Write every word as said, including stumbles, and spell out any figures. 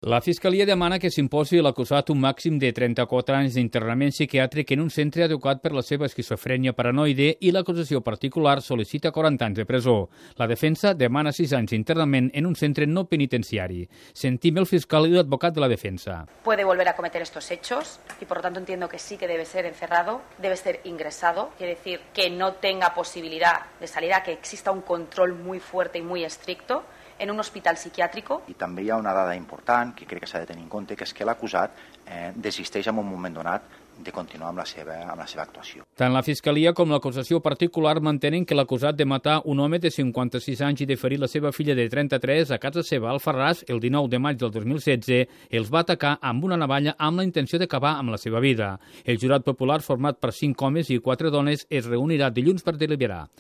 La Fiscalia demana que s'imposi a l'acusat un màxim de trenta-quatre anys d'internament psiquiàtric en un centre adequat per la seva esquizofrènia paranoide i l'acusació particular sol·licita quaranta anys de presó. La defensa demana sis anys d'internament en un centre no penitenciari. Sentim el fiscal i l'advocat de la defensa. Puede volver a cometer estos hechos y por lo tanto entiendo que sí que debe ser encerrado, debe ser ingresado, quiere decir que no tenga posibilidad de salida, que exista un control muy fuerte y muy estricto en un hospital psiquiàtrico. I també hi ha una dada important que crec que s'ha de tenir en compte, que és que l'acusat eh, desisteix en un moment donat de continuar amb la seva, amb la seva actuació. Tant la Fiscalia com l'acusació particular mantenen que l'acusat de matar un home de cinquanta-sis anys i de ferir la seva filla de trenta-tres a casa seva al Alfarràs el dinou de maig del dos mil setze els va atacar amb una navalla amb la intenció d'acabar amb la seva vida. El jurat popular, format per cinc homes i quatre dones, es reunirà dilluns per deliberar.